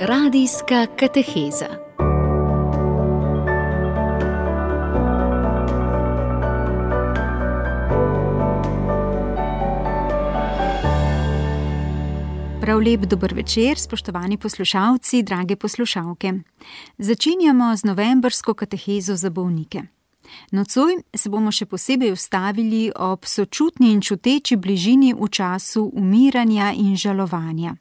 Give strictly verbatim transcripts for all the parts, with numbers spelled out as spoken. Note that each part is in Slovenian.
Radijska kateheza. Prav lep dober večer, spoštovani poslušalci, drage poslušalke. Začenjamo z novembrsko katehezo za bolnike. Nocoj se bomo še posebej ustavili ob sočutni in čuteči bližini v času umiranja in žalovanja.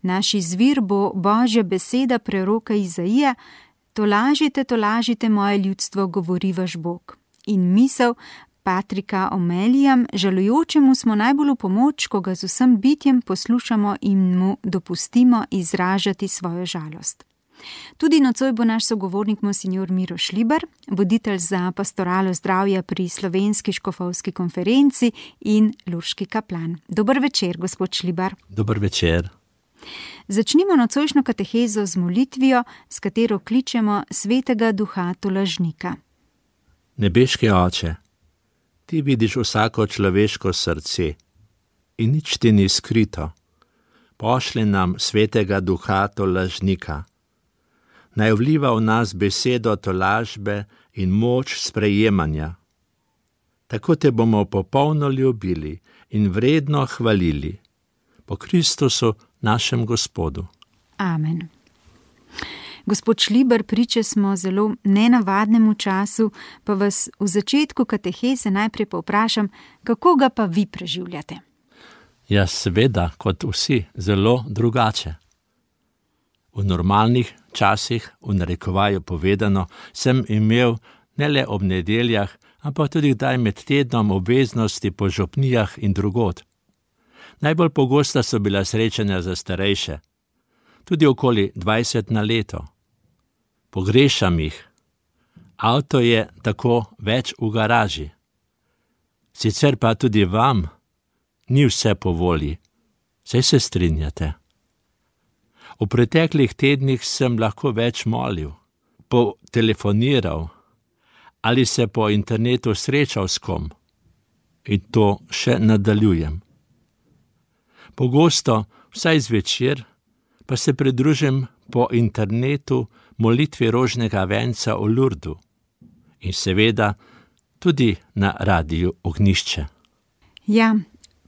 Naš izvir bo Božja beseda preroka Izaija: "Tolažite, tolažite moje ljudstvo, govori vaš Bog." In misel Patrika O'Malleyja: "Žalujočemu smo najbolj v pomoč, ko ga z vsem bitjem poslušamo in mu dopustimo izražati svojo žalost." Tudi nocoj bo naš sogovornik monsignor Miro Šlibar, voditelj za pastoralo zdravja pri Slovenski škofovski konferenci in lurški kaplan. Dober večer, gospod Šlibar. Dober večer. Začnimo nocojšnjo katehezo z molitvijo, s katero kličemo svetega duha tolažnika. Nebeški Oče, ti vidiš vsako človeško srce in nič ti ni skrito. Pošli nam svetega duha tolažnika. Naj vliva v nas besedo tolažbe in moč sprejemanja. Tako te bomo popolno ljubili in vredno hvalili. Po Kristusu, našem Gospodu. Amen. Gospod Šlibar, priče smo zelo nenavadnemu času, pa vas v začetku kateheze najprej povprašam, kako ga pa vi preživljate? Ja, seveda, kot vsi, zelo drugače. V normalnih časih, v narekovaju povedano, sem imel ne le ob nedeljah, ampak tudi kdaj med tednom obveznosti po župnijah in drugod. Najbolj pogosta so bila srečanja za starejše, tudi okoli dvajset na leto. Pogrešam jih. Avto je tako več v garaži. Sicer pa tudi vam ni vse po volji, saj se strinjate. V preteklih tednih sem lahko več molil, potelefoniral ali se po internetu srečal s kom. In to še nadaljujem. Pogosto, vsaj zvečer, pa se pridružim po internetu molitvi rožnega venca v Lurdu in seveda tudi na radiju Ognjišče. Ja,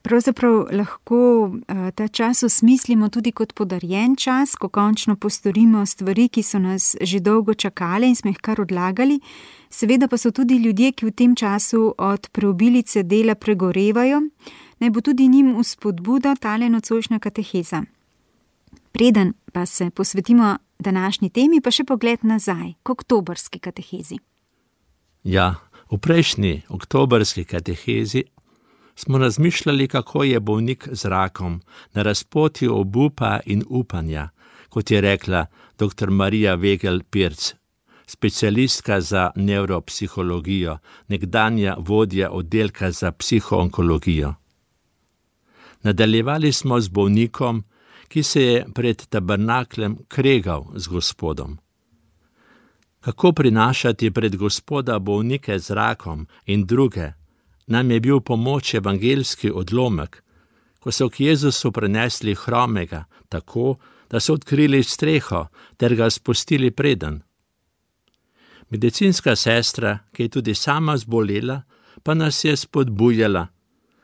pravzaprav lahko uh, ta čas osmislimo tudi kot podarjen čas, ko končno postorimo stvari, ki so nas že dolgo čakale in smo jih kar odlagali. Seveda pa so tudi ljudje, ki v tem času od preobilice dela pregorevajo. Naj bo tudi njim vzpodbuda tale nocojšnja kateheza. Preden pa se posvetimo današnji temi, pa še pogled nazaj, k oktobrski katehezi. Ja, v prejšnji oktobrski katehezi smo razmišljali, kako je bolnik z rakom na razpotju obupa in upanja, kot je rekla doktor Marija Vegel-Pirc, specialistka za nevropsihologijo, nekdanja vodja oddelka za psihoonkologijo. Nadaljevali smo z bolnikom, ki se je pred tabernaklem kregal z Gospodom. Kako prinašati pred Gospoda bolnike z rakom in druge, nam je bil pomoč evangeljski odlomek, ko so k Jezusu prenesli hromega, tako, da so odkrili streho ter ga spustili preden. Medicinska sestra, ki je tudi sama zbolela, pa nas je spodbujala,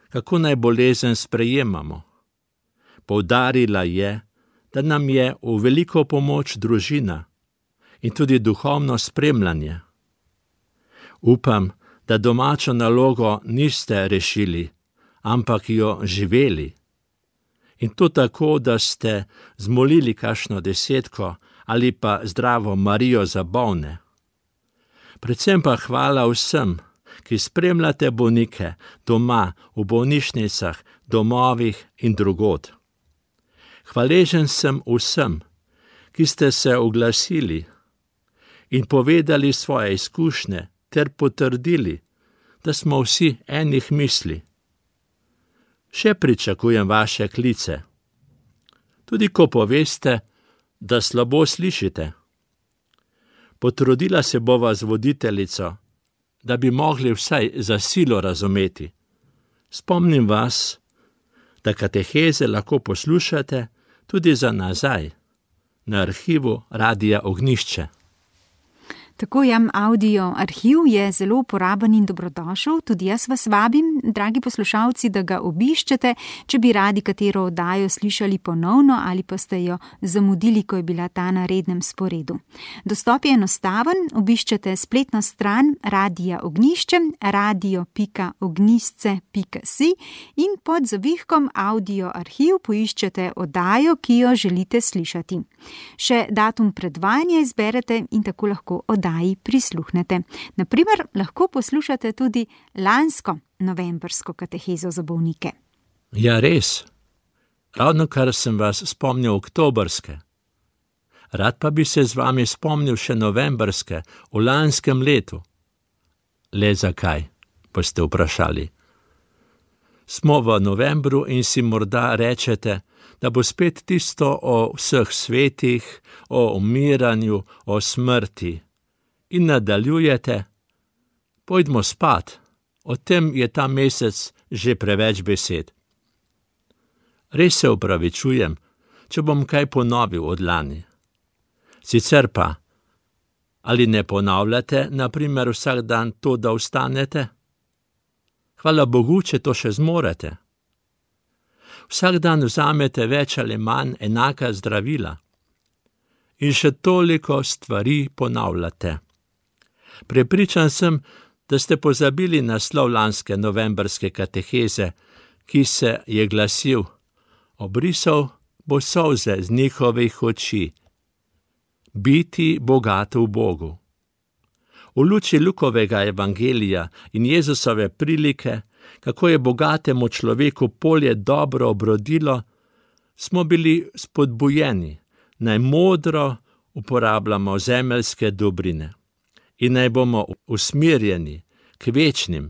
kako naj bolezen sprejemamo. Poudarila je, da nam je v veliko pomoč družina in tudi duhovno spremljanje. Upam, da domačo nalogo niste rešili, ampak jo živeli. In to tako, da ste zmolili kakšno desetko ali pa zdravo Marijo za bolne. Predvsem pa hvala vsem, ki spremljate bolnike doma, v bolnišnicah, domovih in drugod. Hvaležen sem vsem, ki ste se oglasili in povedali svoje izkušnje ter potrdili, da smo vsi enih misli. Še pričakujem vaše klice. Tudi ko poveste, da slabo slišite. Potrudila se bova z voditeljico, da bi mogli vsaj za silo razumeti. Spomnim vas, da kateheze lahko poslušate tudi za nazaj na arhivu Radia Ognjišče. Tako jam audio arhiv je zelo uporaben in dobrodošel, tudi jaz vas vabim, dragi poslušalci, da ga obiščete, če bi radi katero oddajo slišali ponovno ali pa ste jo zamudili, ko je bila ta na rednem sporedu. Dostop je enostaven, obiščete spletno stran Radia Ognjišče, radio pika ognjišče pika si in pod zavihkom audio arhiv poiščete oddajo, ki jo želite slišati. Še datum predvajanja izberete in tako lahko oddaji prisluhnete. Naprimer, lahko poslušate tudi lansko novembrsko katehezo za bolnike. Ja, res. Ravno kar sem vas spomnil oktobrske. Rad pa bi se z vami spomnil še novembrske v lanskem letu. Le zakaj, pa ste vprašali. Smo v novembru in si morda rečete, da bo spet tisto o vseh svetih, o umiranju, o smrti. In nadaljujete, pojdimo spat, o tem je ta mesec že preveč besed. Res se opravičujem, če bom kaj ponovil od lani. Sicer pa, ali ne ponavljate, na primer vsak dan to, da vstanete? Hvala Bogu, če to še zmorete. Vsak dan vzamete več ali manj enaka zdravila. In še toliko stvari ponavljate. Prepričan sem, da ste pozabili naslov lanske novembrske kateheze, ki se je glasil: obrisal bo solze z njihovih oči. Biti bogato v Bogu. V luči Lukovega evangelija in Jezusove prilike, kako je bogatemu človeku polje dobro obrodilo, smo bili spodbujeni, naj modro uporabljamo zemeljske dobrine in naj bomo usmerjeni k večnim.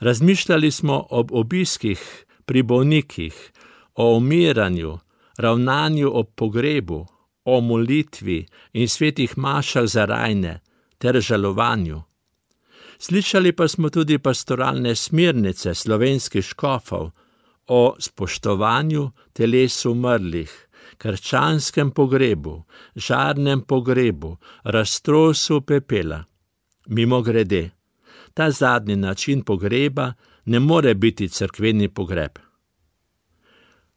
Razmišljali smo ob obiskih pri bolnikih, o umiranju, ravnanju ob pogrebu, o molitvi in svetih mašah za rajne ter žalovanju. Slišali pa smo tudi pastoralne smernice slovenskih škofov o spoštovanju teles umrlih, krščanskem pogrebu, žarnem pogrebu, raztrosu pepela. Mimogrede, ta zadnji način pogreba ne more biti cerkveni pogreb.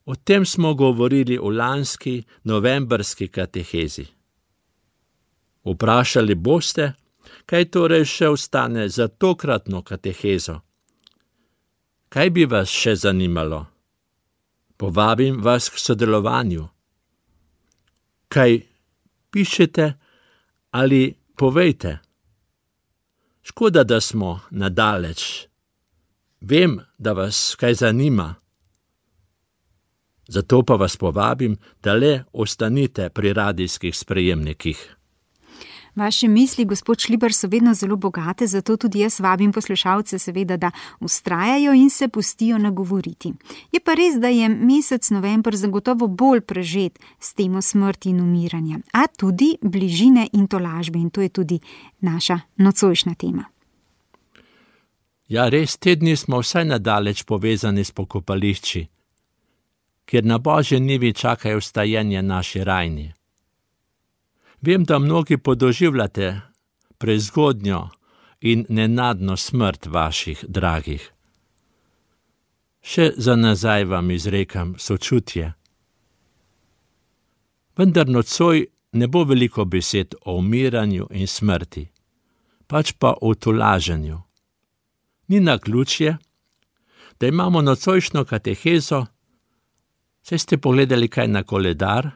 O tem smo govorili v lanski novembrski katehezi. Vprašali boste, kaj torej še ostane za tokratno katehezo? Kaj bi vas še zanimalo? Povabim vas k sodelovanju. Kaj pišete ali povejte? Škoda, da smo nadaleč. Vem, da vas kaj zanima. Zato pa vas povabim, da le ostanite pri radijskih sprejemnikih. Vaše misli, gospod Šlibar, so vedno zelo bogate, zato tudi jaz vabim poslušalce seveda, da vztrajajo in se pustijo nagovoriti. Je pa res, da je mesec november zagotovo bolj prežet s temo smrti in umiranja, a tudi bližine in tolažbe, in to je tudi naša nocojšnja tema. Ja, res, te dni smo vsaj nadaleč povezani s pokopališči, kjer na Božje nivi čakajo vstajenje naši rajni. Vem, da mnogi podoživljate prezgodnjo in nenadno smrt vaših dragih. Še za nazaj vam izrekam sočutje. Vendar nocoj ne bo veliko besed o umiranju in smrti, pač pa o tolaženju. Ni naključje, da imamo nocojšnjo katehezo, saj ste pogledali kaj na koledar,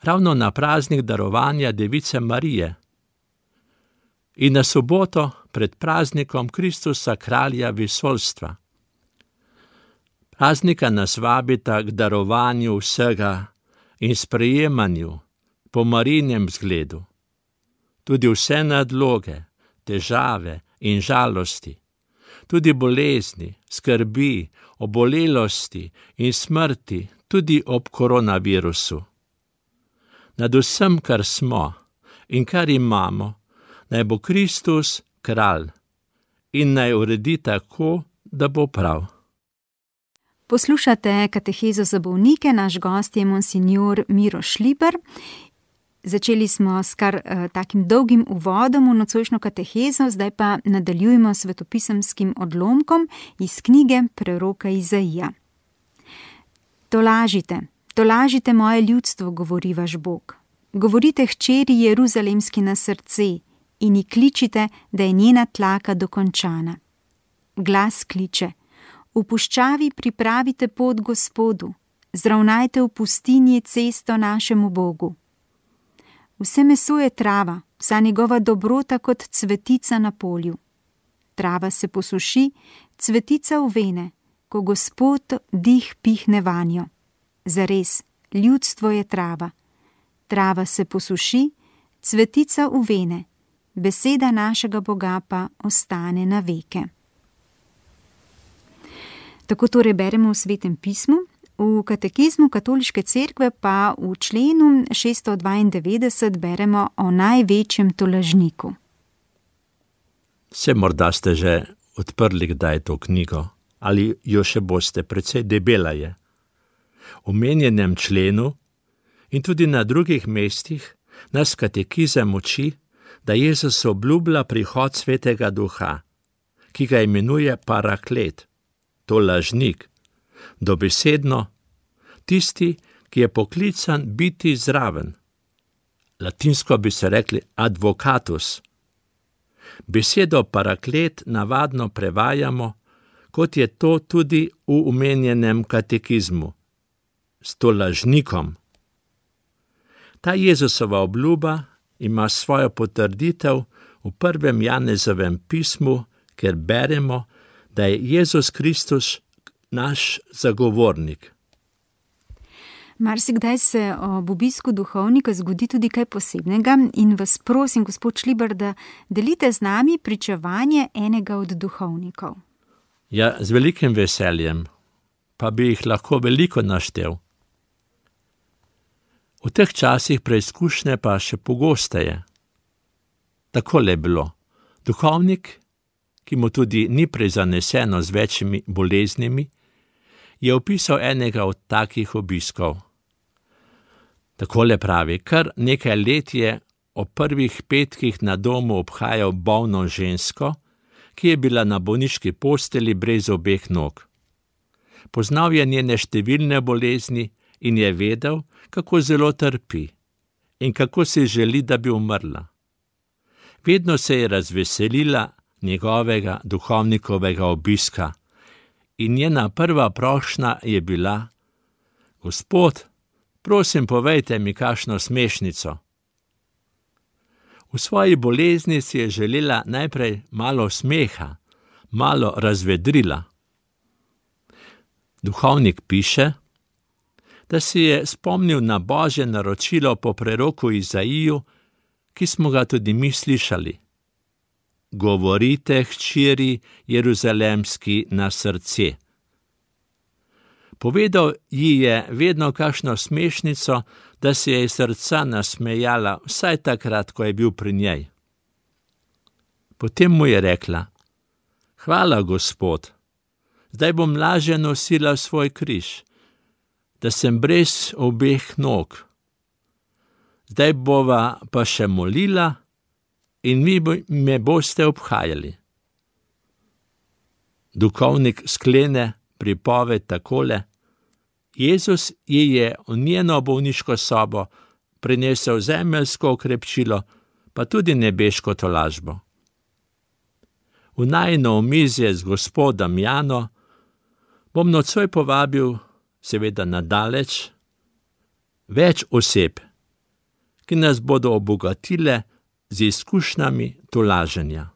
ravno na praznik darovanja Device Marije in na soboto pred praznikom Kristusa kralja vesoljstva. Praznika nas vabita k darovanju vsega in sprejemanju po Marijinem zgledu. Tudi vse nadloge, težave in žalosti, tudi bolezni, skrbi, obolelosti in smrti, tudi ob koronavirusu. Nad vsem, kar smo in kar imamo, naj bo Kristus kralj in naj uredi tako, da bo prav. Poslušate katehezo za bolnike, naš gost je monsignor Miro Šliber. Začeli smo s kar eh, takim dolgim uvodom v nocojšnjo katehezo, zdaj pa nadaljujemo s svetopisemskim odlomkom iz knjige preroka Izaija. Tolažite, tolažite moje ljudstvo, govori vaš Bog. Govorite hčeri Jeruzalemski na srce in ji kličite, da je njena tlaka dokončana. Glas kliče: v puščavi pripravite pot Gospodu, zravnajte v pustinji cesto našemu Bogu. Vse meso je trava, vsa njegova dobrota kot cvetica na polju. Trava se posuši, cvetica uvene, ko Gospod dih pihne vanjo. Zares, ljudstvo je trava. Trava se posuši, cvetica uvene, beseda našega Boga pa ostane na veke. Tako torej beremo v Svetem pismu, v katekizmu Katoliške cerkve pa v členu šeststo dvaindevetdeset beremo o največjem tolažniku. Se morda ste že odprli kdaj to knjigo, ali jo še boste, precej debela je. V omenjenem členu in tudi na drugih mestih nas katekizem uči, da Jezus obljublja prihod Svetega Duha, ki ga imenuje paraklet, tolažnik, dobesedno tisti, ki je poklican biti zraven. Latinsko bi se rekli advocatus. Besedo paraklet navadno prevajamo, kot je to tudi v omenjenem katekizmu, s tolažnikom. Ta Jezusova obljuba ima svojo potrditev v prvem Janezovem pismu, kjer beremo, da je Jezus Kristus naš zagovornik. Marsikdaj se ob obisku duhovnika zgodi tudi kaj posebnega in vas prosim, gospod Šliber, da delite z nami pričevanje enega od duhovnikov. Ja, z velikim veseljem, pa bi jih lahko veliko naštel. V teh časih preizkušnje pa še pogosteje. Takole je bilo. Duhovnik, ki mu tudi ni prezaneseno z večjimi boleznimi, je opisal enega od takih obiskov. Takole pravi: kar nekaj let je ob prvih petkih na domu obhajal bolno žensko, ki je bila na bolniški posteli brez obeh nog. Poznal je njene številne bolezni in je vedel, kako zelo trpi in kako si želi, da bi umrla. Vedno se je razveselila njegovega duhovnikovega obiska in njena prva prošnja je bila: Gospod, prosim, povejte mi kakšno smešnico. V svoji bolezni si je želela najprej malo smeha, malo razvedrila. Duhovnik piše, da si je spomnil na Božje naročilo po preroku Izaiju, ki smo ga tudi mi slišali. Govorite hčeri Jeruzalemski na srce. Povedal ji je vedno kakšno smešnico, da se je iz srca nasmejala vsaj takrat, ko je bil pri njej. Potem mu je rekla: Hvala, Gospod, zdaj bom lažje nosila svoj križ, da sem brez obeh nog. Zdaj bova pa še molila in vi me boste obhajali. Duhovnik sklene pripoved takole: Jezus ji je v njeno bolniško sobo prinesel zemeljsko okrepčilo, pa tudi nebeško tolažbo. V najino omizje z gospodom Jano bom nocoj povabil, seveda nadaleč, več oseb, ki nas bodo obogatile z izkušnjami tolaženja.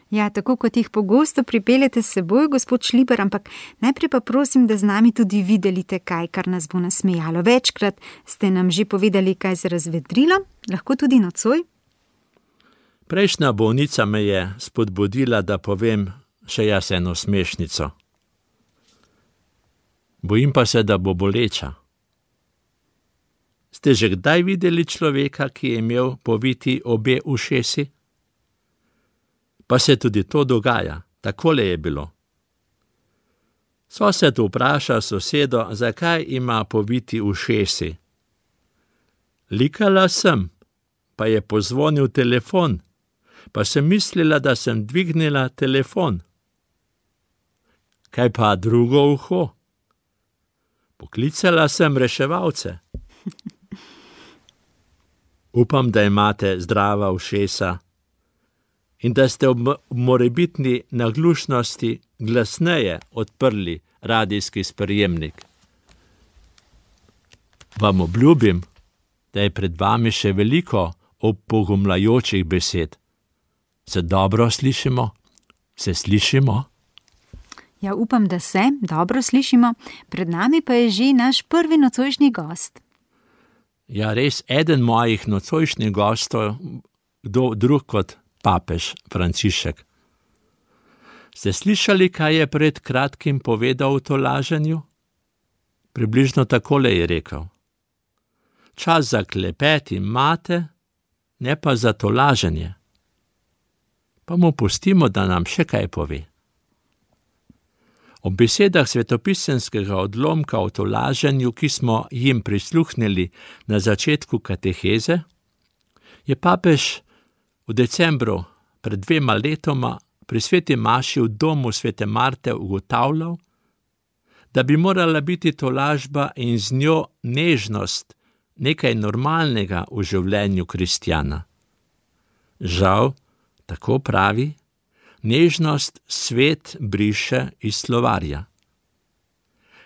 Ja, tako kot jih pogosto pripeljete s seboj, gospod Šliber, ampak najprej pa prosim, da z nami tudi vi delite kaj, kar nas bo nasmejalo. Večkrat ste nam že povedali, kaj se razvedrilo, lahko tudi nocoj. Prejšnja bolnica me je spodbudila, da povem še jaz eno smešnico. Bojim pa se, da bo boleča. Ste že kdaj videli človeka, ki je imel poviti obe ušesi? Pa se tudi to dogaja. Takole je bilo. Sosed vpraša sosedo, zakaj ima poviti ušesi. Likala sem, pa je pozvonil telefon, pa sem mislila, da sem dvignila telefon. Kaj pa drugo uho? Poklicala sem reševalce. Upam, da imate zdrava ušesa in da ste ob morebitni naglušnosti glasneje odprli radijski sprejemnik. Vam obljubim, da je pred vami še veliko opogumljajočih besed. Se dobro slišimo? Se slišimo? Ja, upam, da se dobro slišimo. Pred nami pa je že naš prvi nocojšnji gost. Ja, res, eden mojih nocojšnjih gostov, kdo drug kot papež Frančišek. Ste slišali, kaj je pred kratkim povedal o tolaženju? Približno takole je rekel. Čas za klepet imate, ne pa za tolaženje. Pa mu pustimo, da nam še kaj pove. O besedah svetopisemskega odlomka o tolaženju, ki smo jim prisluhnili na začetku kateheze, je papež v decembru pred dvema letoma pri sveti maši v domu svete Marte ugotavljal, da bi morala biti tolažba in z njo nežnost nekaj normalnega v življenju kristjana. Žal, tako pravi, nežnost svet briše iz slovarja.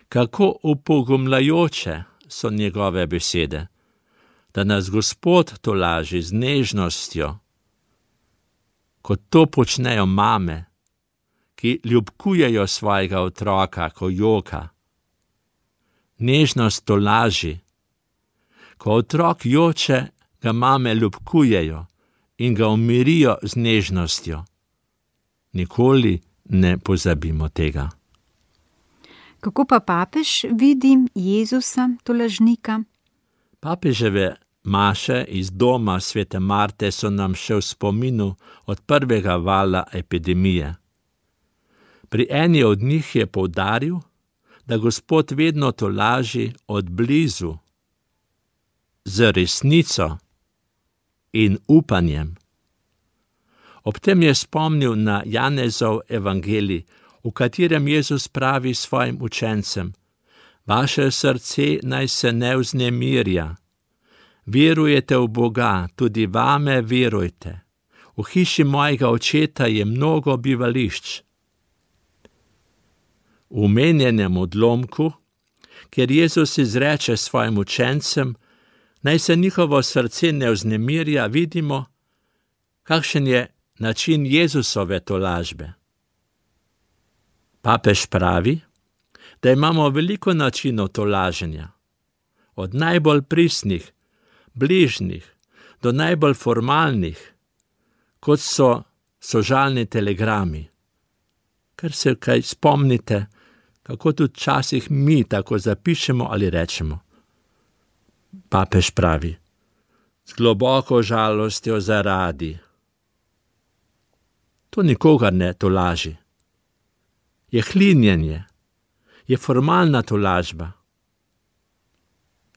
Kako upogumljajoče so njegove besede, da nas Gospod tolaži z nežnostjo, kot to počnejo mame, ki ljubkujejo svojega otroka, ko joka. Nežnost tolaži. Ko otrok joče, ga mame ljubkujejo in ga umirijo z nežnostjo. Nikoli ne pozabimo tega. Kako pa papež vidi Jezusa, tolažnika? Papeževe maše iz doma svete Marte so nam še v spominu od prvega vala epidemije. Pri eni od njih je poudaril, da Gospod vedno tolaži od blizu, z resnico in upanjem. Ob tem je spomnil na Janezov evangelij, v katerem Jezus pravi svojim učencem: Vaše srce naj se ne vznemirja. Verujete v Boga, tudi vame verujte. V hiši mojega očeta je mnogo bivališč. V omenjenem odlomku, kjer Jezus izreče svojim učencem, naj se njihovo srce ne vznemirja, vidimo, kakšen je način Jezusove tolažbe. Papež pravi, da imamo veliko načinov tolaženja, od najbolj pristnih, bližnjih, do najbolj formalnih, kot so sožalni telegrami. Ker se kaj spomnite, kako tudi včasih mi tako zapišemo ali rečemo. Papež pravi, z globoko žalostjo zaradi. To nikogar ne tolaži. Je hlinjenje, je formalna tolažba.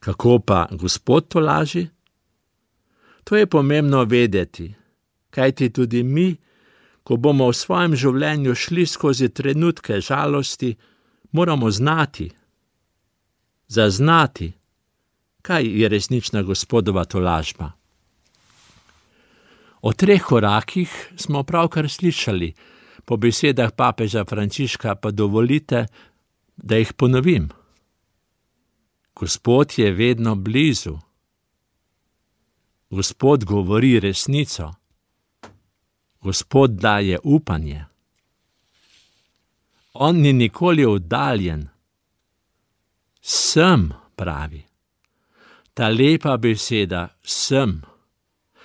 Kako pa Gospod tolaži? To je pomembno vedeti, kajti tudi mi, ko bomo v svojem življenju šli skozi trenutke žalosti, moramo znati, zaznati, kaj je resnična Gospodova tolažba. O treh korakih smo pravkar slišali, po besedah papeža Frančiška pa dovolite, da jih ponovim. Gospod je vedno blizu. Gospod govori resnico. Gospod daje upanje. On ni nikoli oddaljen. Sem, pravi. Ta lepa beseda, sem.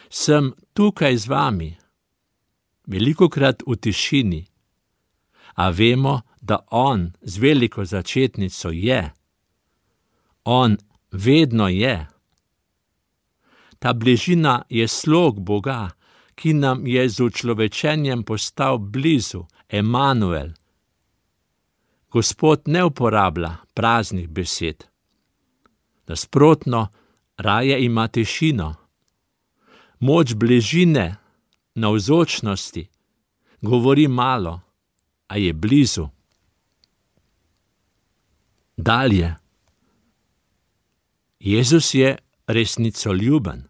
Sem tukaj z vami. Velikokrat v tišini. A vemo, da on z veliko začetnico je. On vedno je. Ta bližina je slog Boga, ki nam je z učlovečenjem postal blizu, Emanuel. Gospod ne uporablja praznih besed. Nasprotno, raje ima tišino. Moč bližine, navzočnosti, govori malo, a je blizu. Dalje. Jezus je resnicoljuben.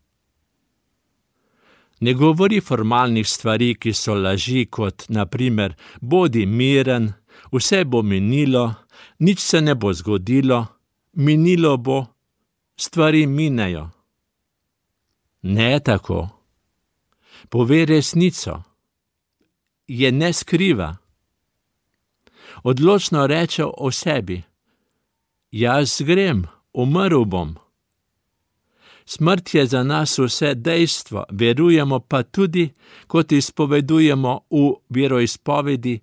Ne govori formalnih stvari, ki so laži, kot na primer bodi miren, vse bo minilo, nič se ne bo zgodilo, minilo bo, stvari minejo. Ne tako. Pove resnico. Je ne skriva. Odločno reče o sebi. Jaz grem, umrl bom. Smrt je za nas vse dejstvo, verujemo pa tudi, kot izpovedujemo v veroizpovedi,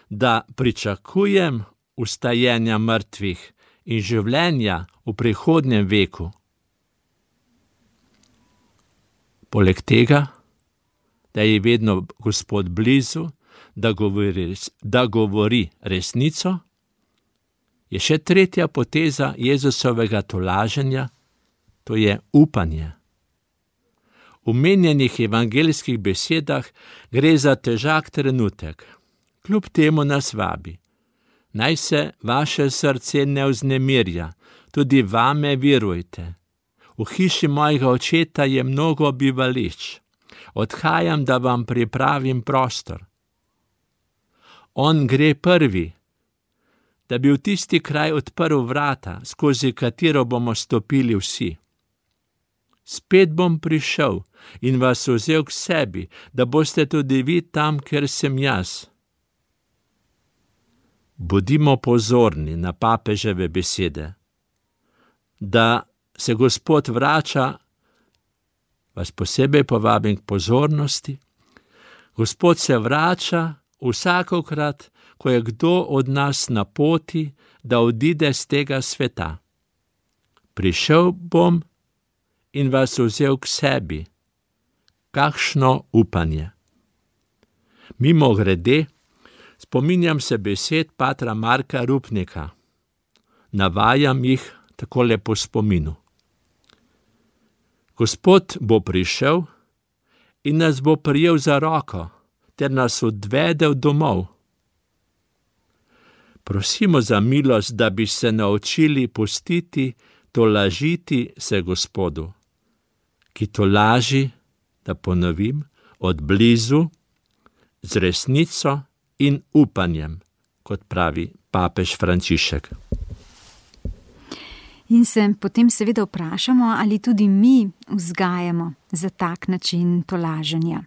da pričakujem vstajenja mrtvih in življenja v prihodnjem veku. Poleg tega, da je vedno Gospod blizu, da govori, da govori resnico, je še tretja poteza Jezusovega tolaženja, to je upanje. V omenjenih evangeljskih besedah gre za težak trenutek. Kljub temu nas vabi. Naj se vaše srce ne vznemirja, tudi vame verujte. V hiši mojega očeta je mnogo bivališč. Odhajam, da vam pripravim prostor. On gre prvi, da bi v tisti kraj odprl vrata, skozi katero bomo stopili vsi. Spet bom prišel in vas vzel k sebi, da boste tudi vi tam, kjer sem jaz. Bodimo pozorni na papeževe besede. Da se Gospod vrača, vas posebej povabim k pozornosti. Gospod se vrača vsakokrat, ko je kdo od nas na poti, da odide z tega sveta. Prišel bom in vas vzel k sebi. Kakšno upanje! Mimogrede, spominjam se besed patra Marka Rupnika. Navajam jih takole po spominu. Gospod bo prišel in nas bo prijel za roko, ter nas odvedel domov. Prosimo za milost, da bi se naučili pustiti tolažiti se Gospodu, ki tolaži, da ponovim, od blizu, z resnico in upanjem, kot pravi papež Frančišek. In se potem seveda vprašamo, ali tudi mi vzgajamo za tak način tolaženja.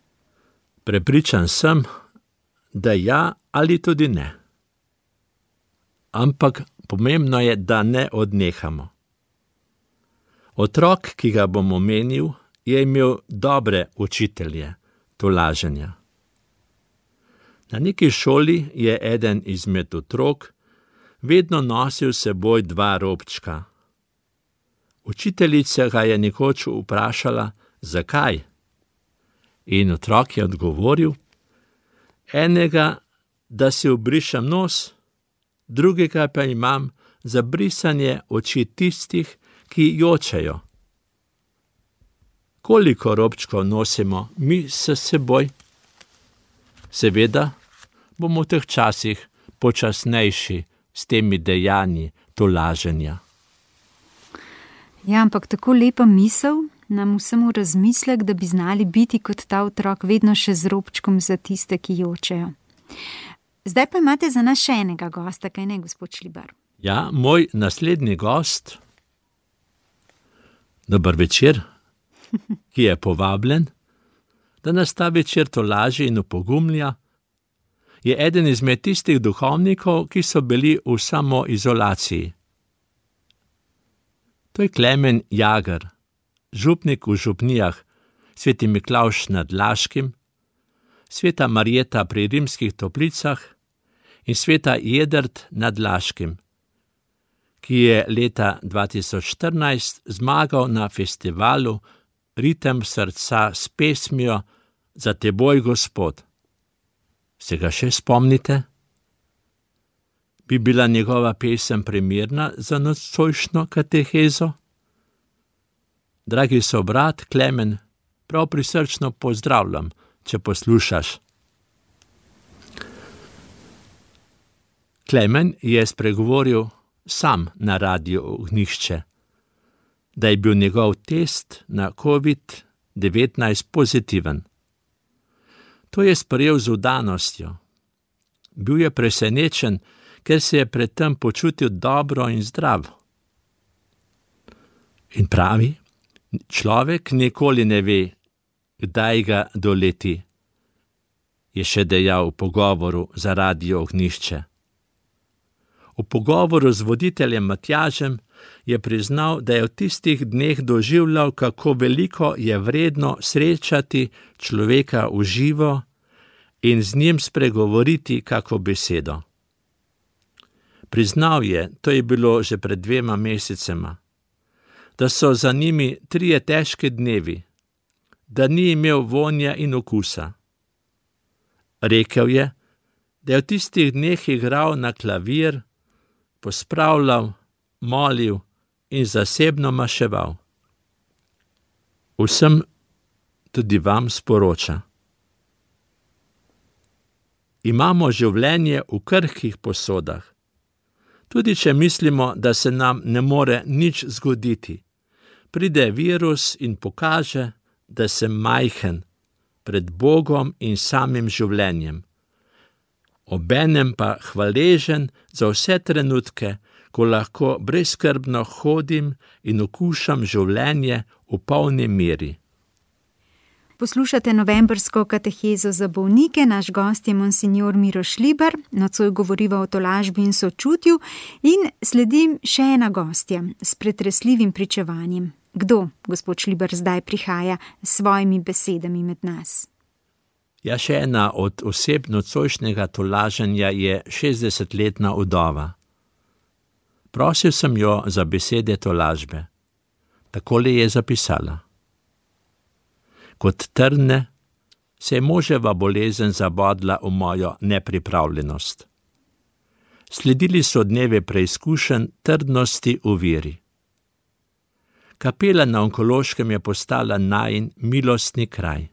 Prepričan sem, da ja ali tudi ne. Ampak pomembno je, da ne odnehamo. Otrok, ki ga bom omenil, je imel dobre učitelje tolaženja. Na neki šoli je eden izmed otrok vedno nosil s seboj dva robčka. Učiteljica ga je nekoč vprašala, zakaj? In otrok je odgovoril, enega, da si obrišem nos, drugega pa imam za brisanje oči tistih, ki jočejo. Koliko robčkov nosimo mi s seboj? Seveda bomo v teh časih počasnejši s temi dejanji tolaženja. Ja, ampak tako lepa misel nam vsemu razmislek, da bi znali biti kot ta otrok vedno še z robčkom za tiste, ki jočejo. Zdaj pa imate za nas še enega gosta, kaj ne, gospod Šlibar? Ja, moj naslednji gost, dober večer, ki je povabljen, da nas ta večer tolaži in opogumlja, je eden izmed tistih duhovnikov, ki so bili v samoizolaciji. To je Klemen Jager, župnik v župnijah Sveti Miklavž nad Laškim, Sveta Marjeta pri Rimskih Toplicah in Sveta Jedrt nad Laškim, ki je leta dva tisoč štirinajst zmagal na festivalu Ritem srca s pesmijo Za teboj, Gospod. Se ga še spomnite? Bi bila njegova pesem primerna za nocojšnjo katehezo? Dragi sobrat Klemen, prav prisrčno pozdravljam, če poslušaš. Klemen je spregovoril sam na Radiu Ognjišče, da je bil njegov test na covid devetnajst pozitiven. To je sprejel z vdanostjo. Bil je presenečen, ker se je pred tem počutil dobro in zdrav. In pravi, človek nikoli ne ve, kdaj ga doleti, je še dejal v pogovoru za Radio Ognjišče. V pogovoru z voditeljem Matjažem je priznal, da je v tistih dneh doživljal, kako veliko je vredno srečati človeka v živo in z njim spregovoriti kako besedo. Priznal je, to je bilo že pred dvema mesecema, da so za njimi trije težki dnevi, da ni imel vonja in okusa. Rekel je, da je v tistih dneh igral na klavir, pospravljal, molil in zasebno maševal. Vsem tudi vam sporoča. Imamo življenje v krhkih posodah. Tudi če mislimo, da se nam ne more nič zgoditi, pride virus in pokaže, da sem majhen pred Bogom in samim življenjem. Obenem pa hvaležen za vse trenutke, ko lahko brezskrbno hodim in okušam življenje v polni meri. Poslušate novembrsko katehezo za bolnike, naš gost je monsignor Miroš Šlibar, nocoj govoriva o tolažbi in sočutju in sledim še ena gostja s pretresljivim pričevanjem. Kdo, gospod Šlibar, zdaj prihaja s svojimi besedami med nas? Ja, še ena od oseb nocojšnjega tolaženja je šestdesetletna vdova. Prosil sem jo za besede tolažbe. Takole je zapisala. Kot trne se je moževa bolezen zabodla v mojo nepripravljenost. Sledili so dneve preizkušenj trdnosti v veri. Kapela na onkološkem je postala najin milostni kraj.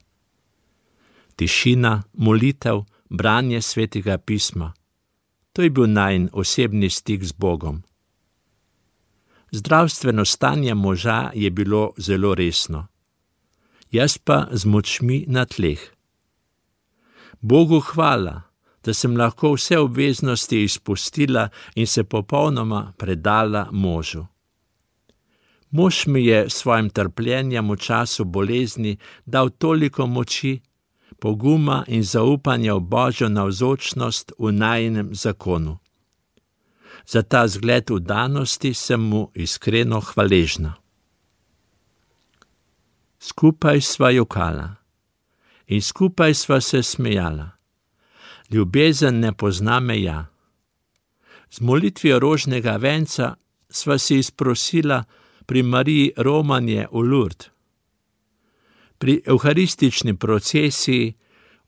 Tišina, molitev, branje svetega pisma. To je bil najin osebni stik z Bogom. Zdravstveno stanje moža je bilo zelo resno. Jaz pa z močmi na tleh. Bogu hvala, da sem lahko vse obveznosti izpustila in se popolnoma predala možu. Mož mi je svojim trpljenjem v času bolezni dal toliko moči, poguma in zaupanja v Božjo navzočnost v najinem zakonu. Za ta zgled vdanosti sem mu iskreno hvaležna. Skupaj sva jokala in skupaj sva se smejala. Ljubezen ne pozna meja. Z molitvijo rožnega venca sva si izprosila pri Mariji romanje v Lourdes. Pri evharistični procesiji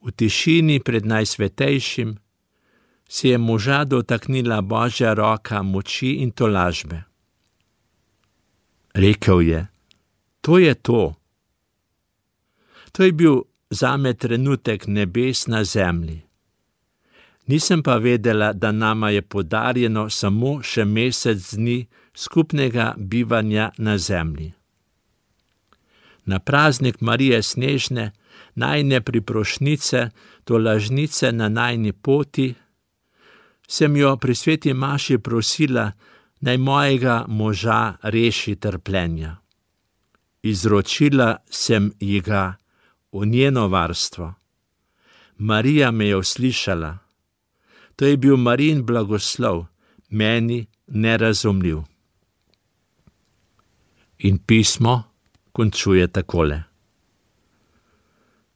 v tišini pred Najsvetejšim se je moža dotaknila Božja roka moči in tolažbe. Rekel je, to je to. To je bil zame trenutek nebes na zemlji. Nisem pa vedela, da nama je podarjeno samo še mesec dni skupnega bivanja na zemlji. Na praznik Marije Snežne, najine priprošnice, tolažnice na najini poti, sem jo pri sveti maši prosila, naj mojega moža reši trpljenja. Izročila sem ji ga v njeno varstvo. Marija me je uslišala. To je bil Marijin blagoslov, meni nerazumljiv. In pismo končuje takole.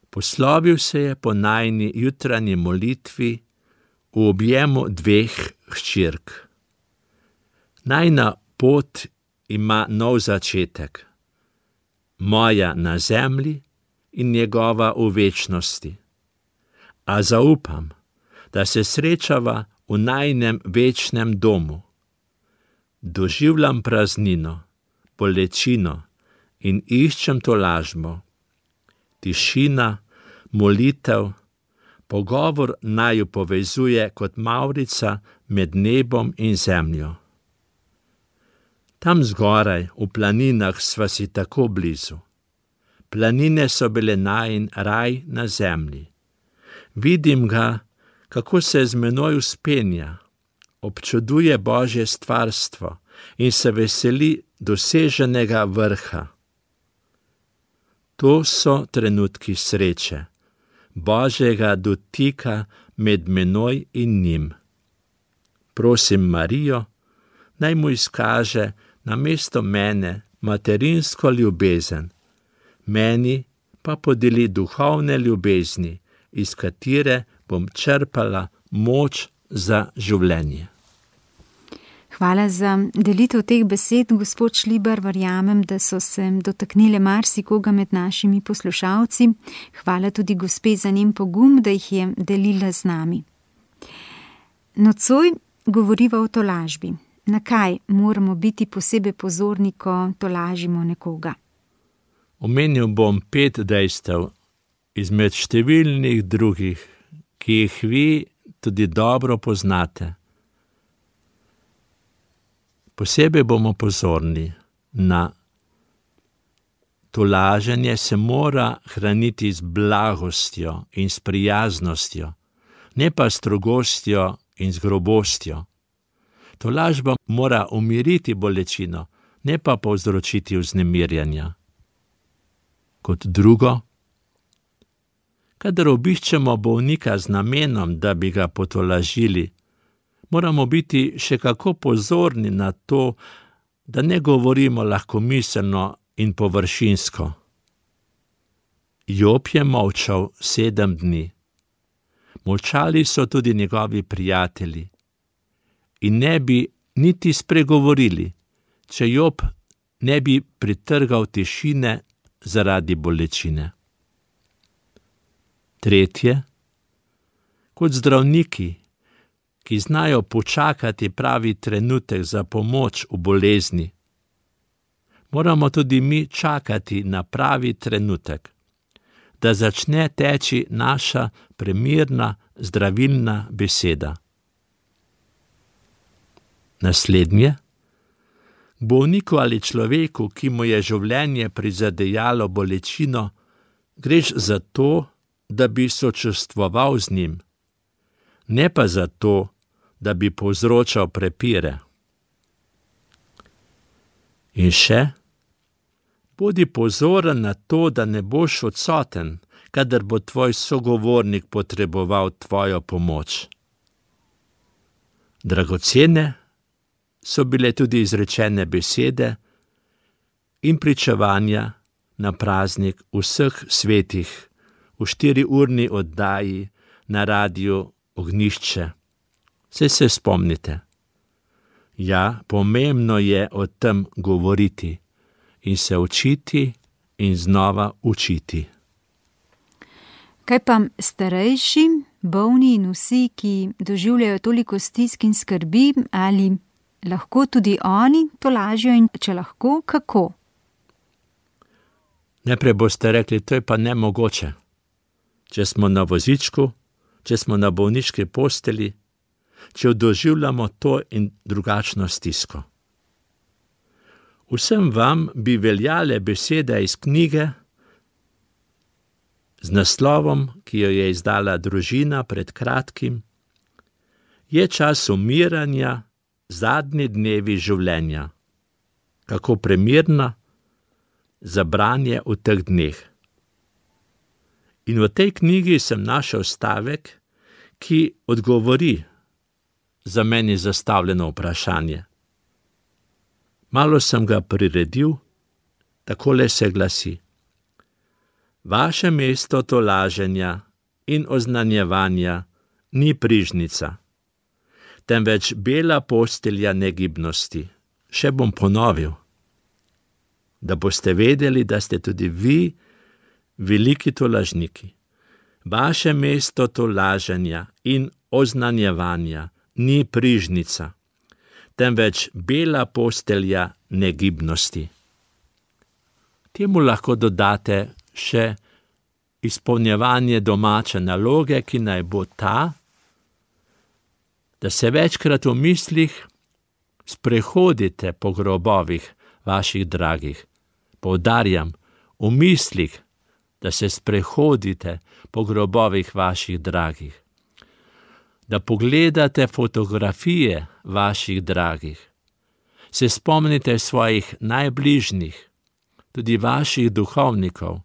Poslovil se je po najini jutranji molitvi v objemu dveh hčerk. Najina pot ima nov začetek. Moja na zemlji in njegova v večnosti. A zaupam, da se srečava v najinem večnem domu. Doživljam praznino, bolečino in iščem tolažbo. Tišina, molitev, pogovor naju povezuje kot mavrica med nebom in zemljo. Tam zgoraj, v planinah, sva si tako blizu. Planine so bile najin raj na zemlji. Vidim ga, kako se z menoj vzpenja, občuduje Božje stvarstvo in se veseli doseženega vrha. To so trenutki sreče, Božjega dotika med menoj in njim. Prosim Marijo, naj mu izkaže namesto mene materinsko ljubezen, meni pa podeli duhovne ljubezni, iz katere bom črpala moč za življenje. Hvala za delitev teh besed, gospod Šlibar. Verjamem, da so se dotaknile marsikoga med našimi poslušalci. Hvala tudi gospe za njen pogum, da jih je delila z nami. Nocoj govoriva o tolažbi. Na kaj moramo biti posebej pozorni, ko tolažimo nekoga? Omenil bom pet dejstev izmed številnih drugih, ki jih vi tudi dobro poznate. Posebej bomo pozorni na tolaženje se mora hraniti z blagostjo in s prijaznostjo, ne pa strogostjo in z grobostjo. Tolažba mora umiriti bolečino, ne pa povzročiti vznemirjanja. Kot drugo, kadar obiščemo bolnika z namenom, da bi ga potolažili, moramo biti še kako pozorni na to, da ne govorimo lahkomiselno in površinsko. Job je molčal sedem dni. Molčali so tudi njegovi prijatelji in ne bi niti spregovorili, če Job ne bi pritrgal tišine zaradi bolečine. Tretje, kot zdravniki, ki znajo počakati pravi trenutek za pomoč v bolezni, moramo tudi mi čakati na pravi trenutek, da začne teči naša premirna, zdravilna beseda. Naslednje, bolniku ali človeku, ki mu je življenje prizadejalo bolečino, greš za to, da bi sočustvoval z njim, ne pa za to, da bi povzročal prepire. In še, bodi pozoren na to, da ne boš odsoten, kadar bo tvoj sogovornik potreboval tvojo pomoč. Dragocene so bile tudi izrečene besede in pričevanja na praznik vseh svetih v štiriurni oddaji na radiju Ognjišče. Saj se spomnite. Ja, pomembno je o tem govoriti in se učiti in znova učiti. Kaj pa starejši, bolni in vsi, ki doživljajo toliko stisk in skrbi, ali lahko tudi oni tolažijo in če lahko, kako? Najprej boste rekli, to je pa nemogoče. Če smo na vozičku, če smo na bolniški posteli, če doživljamo to in drugačno stisko. Vsem vam bi veljale besede iz knjige z naslovom, ki jo je izdala Družina pred kratkim, Je čas umiranja, zadnji dnevi življenja. Kako premirna za branje v teh dneh. In v tej knjigi sem našel stavek, ki odgovori za meni zastavljeno vprašanje. Malo sem ga priredil, takole se glasi. Vaše mesto tolaženja in oznanjevanja ni prižnica, temveč bela postelja negibnosti. Še bom ponovil, da boste vedeli, da ste tudi vi veliki tolažniki. Vaše mesto tolaženja in oznanjevanja ni prižnica, temveč bela postelja negibnosti. Temu lahko dodate še izpolnjevanje domače naloge, ki naj bo ta, da se večkrat v mislih sprehodite po grobovih vaših dragih. Poudarjam, v mislih, da se sprehodite po grobovih vaših dragih. Da pogledate fotografije vaših dragih. Se spomnite svojih najbližnjih, tudi vaših duhovnikov,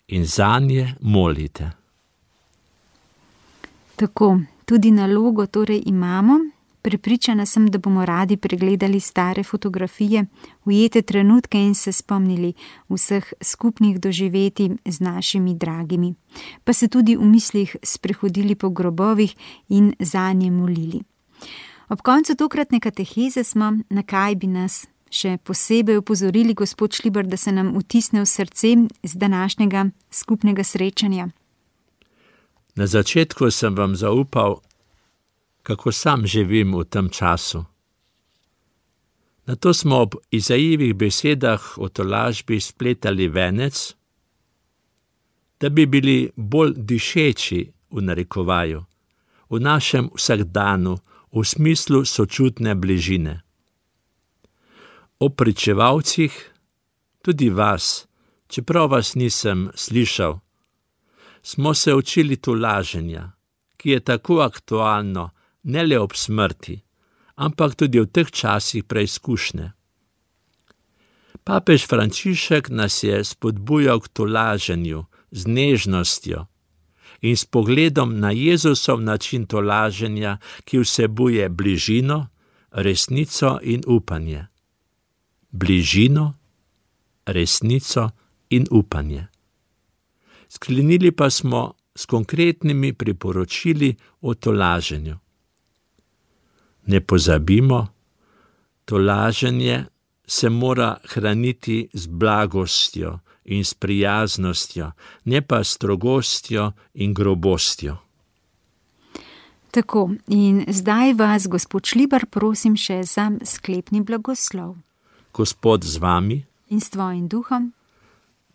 in zanje molite. Tako, tudi nalogo torej imamo. Prepričana sem, da bomo radi pregledali stare fotografije, ujete trenutke in se spomnili vseh skupnih doživetij z našimi dragimi, pa se tudi v mislih sprehodili po grobovih in zanje molili. Ob koncu tokratne kateheze smo, na kaj bi nas še posebej opozorili gospod Šlibar, da se nam vtisne v srce z današnjega skupnega srečanja. Na začetku sem vam zaupal, kako sam živim v tem času. Nato smo ob Izajijevih besedah o tolažbi spletali venec, da bi bili bolj dišeči v narekovaju, v našem vsakdanu, v smislu sočutne bližine. O pričevalcih, tudi vas, čeprav vas nisem slišal, smo se učili tolaženja, ki je tako aktualno, ne le ob smrti, ampak tudi v teh časih preizkušnje. Papež Frančišek nas je spodbujal k tolaženju z nežnostjo in s pogledom na Jezusov način tolaženja, ki vsebuje bližino, resnico in upanje. Bližino, resnico in upanje. Sklenili pa smo s konkretnimi priporočili o tolaženju. Ne pozabimo, tolaženje se mora hraniti z blagostjo in s prijaznostjo, ne pa strogostjo in grobostjo. Tako, in zdaj vas, gospod Šlibar, prosim še za sklepni blagoslov. Gospod z vami in s tvojim duhom.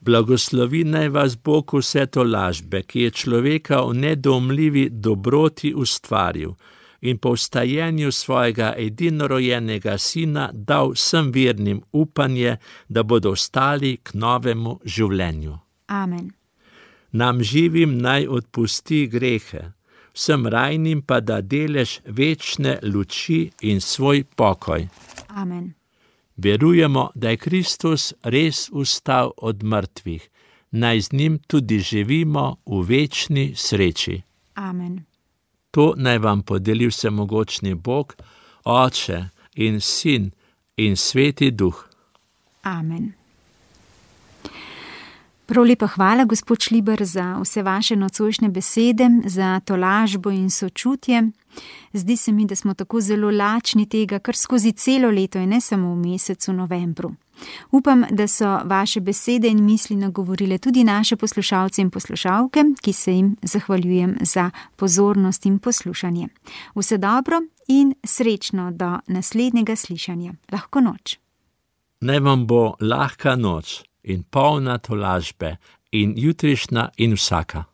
Blagoslovi naj vas Bog vse tolažbe, ki je človeka v nedoumljivi dobroti ustvaril in po vstajenju svojega edinorojenega sina dal vsem vernim upanje, da bodo ostali k novemu življenju. Amen. Nam živim naj odpusti grehe, vsem rajnim pa da delež večne luči in svoj pokoj. Amen. Verujemo, da je Kristus res vstal od mrtvih, naj z njim tudi živimo v večni sreči. Amen. To naj vam podeli vsemogočni Bog, Oče in Sin in Sveti Duh. Amen. Prav lepa hvala, gospod Šlibar, za vse vaše nocojšnje besede, za tolažbo in sočutje. Zdi se mi, da smo tako zelo lačni tega, kar skozi celo leto in ne samo v mesecu novembru. Upam, da so vaše besede in misli nagovorile tudi naše poslušalce in poslušalke, ki se jim zahvaljujem za pozornost in poslušanje. Vse dobro in srečno do naslednjega slišanja. Lahko noč. Naj vam bo lahka noč in polna tolažbe in jutrišnja in vsaka.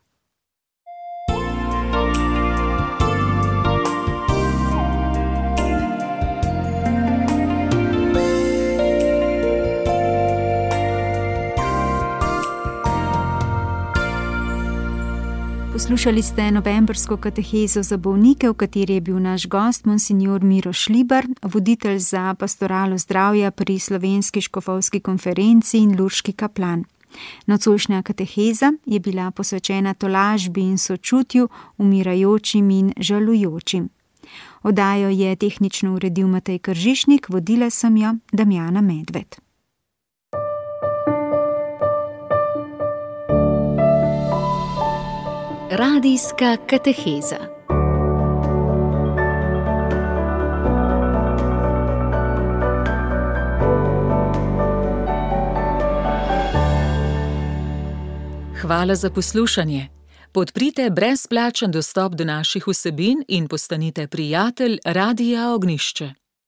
Poslušali ste novembrsko katehezo za bolnike, v kateri je bil naš gost monsignor Miro Šlibar, voditelj za pastoralo zdravja pri Slovenski škofovski konferenci in lurški kaplan. Nocojšnja kateheza je bila posvečena tolažbi in sočutju umirajočim in žalujočim. Oddajo je tehnično uredil Matej Kržišnik, vodila sem jo Damjana Medved. Radijska kateheza. Hvala za poslušanje. Podprite brezplačen dostop do naših vsebin in postanite prijatelj Radia Ognjišče.